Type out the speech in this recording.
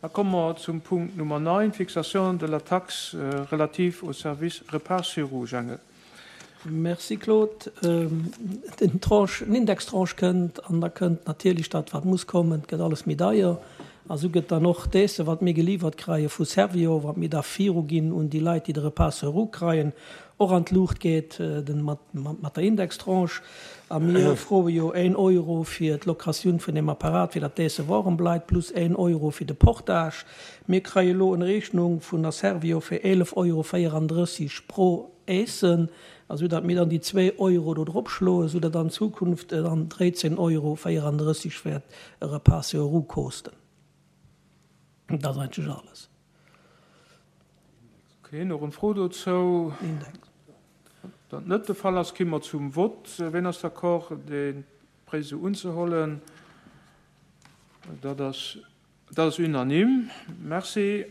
Da komme mer zum Punkt Nummer 9, Fixation de la taxe relative au service repas sur roues. Jangel. Merci Claude. Den Tranche, den Indextranche kënnt an da kënnt natierlech dat wat muss kommen, et gëtt alles méi deier. A sou gëtt dann och d'Esse wat mir geliwwert kreie vu Servior, wat mir da viruginn un déi Leit déi de Repas sur roues kreien, och an d'Luucht geet den mat mat der Indextranche. A mir froe jo een Euro fir d'Locatioun vun deem Apparat fir datt d'Esse warem bleift, plus een Euro fir de Portage. Mir kreie elo en Rechnung vun der Servior fir 11 Euro 34 pro Essen, a sou datt mir dann déi zwee Euro do drop schloen, sou datt an Zukunft et dann 13 Euro 34 wäert e Repas sur roues kosten. Dat ass eigentlech alles. Ok, nach en Fro dozou? Dat net de Fall ass, gi mer zum Vott. Ween ass d'accord, dee Prêt esou unzehollen? Dat ass, dat ass unanime. Merci.